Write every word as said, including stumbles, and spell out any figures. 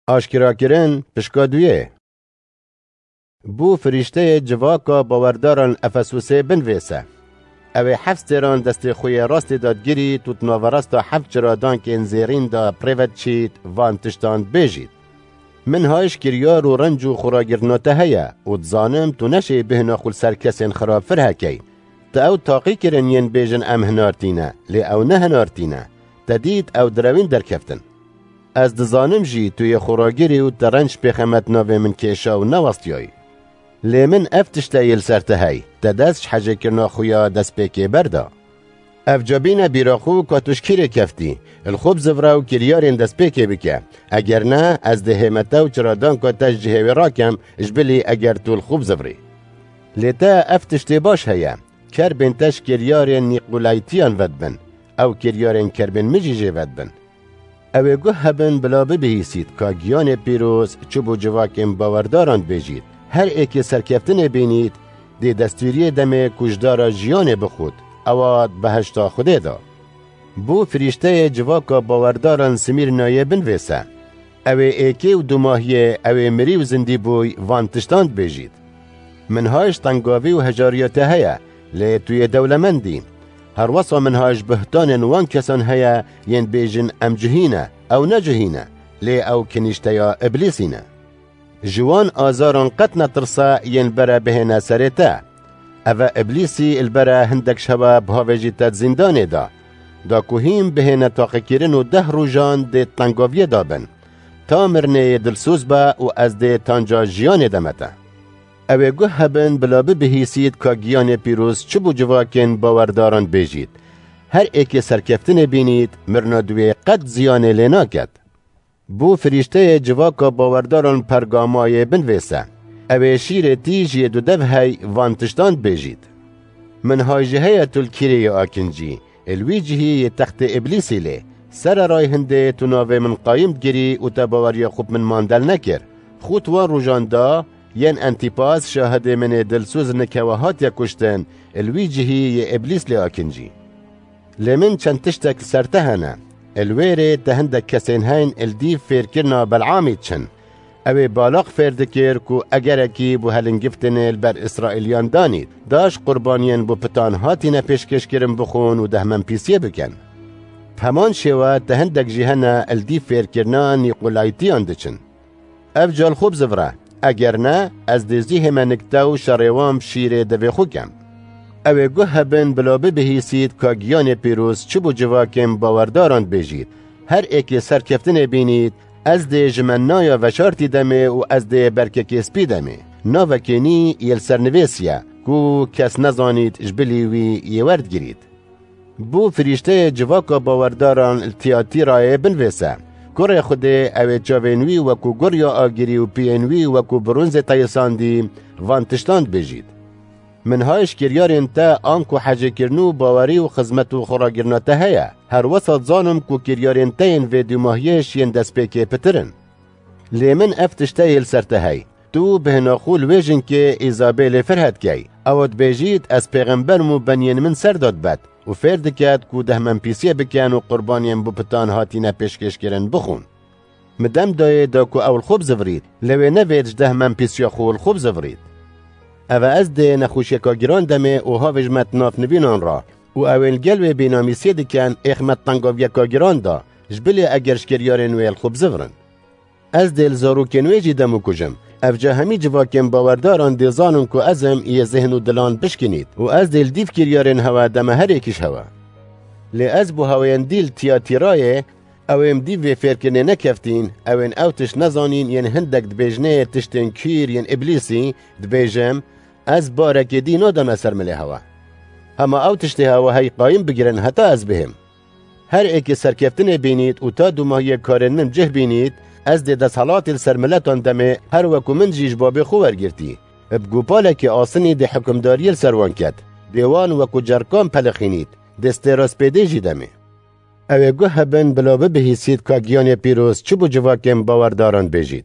Aşkerakirin, pişka duyê. Bû firîşteyê civaka bawerdaran Efesusê binvêse. Ew ê heft stêran destê xwe yê rastê de digirît û di naverasta heft çiradankên zêrîn de bi rê ve diçît, van tiştan dibêjît. Min hay ji kiryar û renc û xuragirtina te heye û dizanim tu neşeyî bêhna xwe li ser kesên xirab firhe key. Te ew taqî kirin yên bêjin em hinartî ne, lê ew ne hinartî ne. Te dît ew direwîn derkeftin. Ez dizanim jî tu yê xuragirî û te renc pêxemet navê min kêşa û newestiyayî. Lê min ev tişte yê li ser te hey, te dest ji hecêkirina xwe ya destpêkê berda. Ev ca bîne bîra xwe ka tu ji kîrê keftî, li xwe bizivre û kiryarên destpêkê bike. Eger ne, ez dê hême te û çiradanka te ji cihê wê rakem, ji bilî eger tu li xwe bizivrî. Lê te ev tiştê baş heye, kerbên te ji kiryarên Nîqolaytiyan vedibin, ew kiryarên kerbên min jî jê vedibin. Ew ê guh hebin bila bibihîsît ka giyanê pîroz çi bo civakên bawerdaran dibêjît. Her êkê serkeftinê bînît, dê destûriyê demê ku ji dara jiyanê bixwit, ewa di behişta Xwedê de. Bo firîşteyê civaka bawerdaran Simîrnayê binvêse. Ew ê êkê û dumahiyê ew ê mirî û zindî bûy van tiştan dibêjît. Min hay ji tengavî û hejariya te heye, lê tu yê dewlemend î. Herwesa min hay ji buhtanên wan kesan heye yên bêjin em cihî ne, ew ne cihî ne, lê ew kinîşteya Îblîsî ne. Ji wan azaran qet netirse yên bere bihêne serê te. Eve Îblîsî li bere hindek ji hewe bihavêjî te di zîndanê de. Da ku hîn bihêne taqîkirin û deh rojan dê di tengaviyê de bin. Ta mirinê yê dilsoz be û ez dê tanca jiyanê deme te. Ew ê guh hebin bila bibihîsît ka giyanê pîroz çi bo civakên bawerdaran dibêjît. Her êkê serkeftinê bînît, mirina di wê qet ziyanê lê naket. Bo firîşteyê civaka bawerdaran Pergamayê binvêse. Ew ê şîrê tîj yê dudev hey van tiştan dibêjît. Min hay jî heye tu li kîrê yê akincî, ê li wî cihî yê textê Îblîsî lê. Sereray hindê tu navê min qayim digirî û te baweriya xwe bi min mandel nekir. Xwe di wan rojan da, yên Entîpas şahidê min ê dilsoz nik hewe hatiye kuştin, ê li wî cihî yê Îblîs lê akincî. Lê min çend tiştek li ser te hene. Li wê rê te hindek kesên heyn li dîv fêrkirina Belamî diçin. Ew ê Balaq fêr dikir ku egerekî bo helingiftinê li ber Îsraîliyan danît, da ji qurbaniyên bo pitan hatîne pêşkêşkirin bixwin û dehmenpîsiyê bikin. Bi heman şêwe te hindek jî hene li dîv fêrkirina Nîqolaytiyan diçin. Ev ca li xwe bizivre, eger ne, ez dê zî hême nik te û şerê wan bi şîrê devê xwe kem. Ew ê guh hebin bila bibihîsît ka giyanê pîroz çi bo civakên bawerdaran dibêjît. Her êkê serkeftinê bînît, ez dê ji me naya veşartî demê û ez dê berkekê spî demê. Navekê nî yê li ser nivêsiye, ku kes nezanît ji bilî wî yê werdigirît. Bo firîşteyê civaka bawerdaran li Tiyatîrayê binvêse. Kurê Xwedê ew ê çavên wî wekû gurya agirî û piyên wî wekû bronzê teyisandî van tiştan dibêjît. Min hay ji kiryarên te anku hecêkirin û bawerî û xizmet û xuragirina te heye. Her wesa dizanim ku kiryarên te yên vê dûmahiyê ji yên destpêkê pitir in. Lê min ev tişteyê li ser te hey. Tu bêhna xwe li wê jinkê Îzabêlê firhe dikey. Ew dibêjît, ez pêxember im û beniyên min ser de dibet û fêr diket ku dehmenpîsiyê bikin û qurbaniyên bo pitan hatîne pêşkêşkirin bixwin. Min dem dayê da ku ew li xwe bizivirît, lê wê nevêt ji dehmenpîsiya xwe li xwe bizivirît. Eve ez dê nexweşiyeka giran demê û havê ji me di nav nivînan re û ew ên li gel wê bênamîsiyê dikin êx me di tengaviyeka giran de, ji bilê eger ji kiryarên wê li xwe bizivirin. Ez dê li zarokên wê jî dem û kujim. Ev ca hemî civakên bawerdaran dê zanin ku ez im yê zihn û dilan bişkinît û ez dê li dîv kiryarên hewe deme her êkî ji hewe. Lê ez bo heweyendî li Tiyatîrayê, ew ên dîv vê fêrkirinê nekeftîn, ew ên ew tişt nezanîn yên hindek dibêjnê tiştên kîr yên Îblîsî, dibêjim, ez barekê dî nadame ser milê hewe. Hema ew tiştê hewe hey qayim bigirin heta ez bihêm. Her êkê serkeftinê bînît û ta dûmahiyê karên min cih bînît, ez dê desthilatê li ser miletan demê, her weku min jî ji babê xwe wergirtî. Bi gopalekê asinî dê hukimdariyê li ser wan ket. Dê wan weku cerkan pelixînît, dê stêra spêdê jî demê. Ew ê guh hebin bila bibihîsît ka giyanê pîroz çi bo civakên bawerdaran bêjît.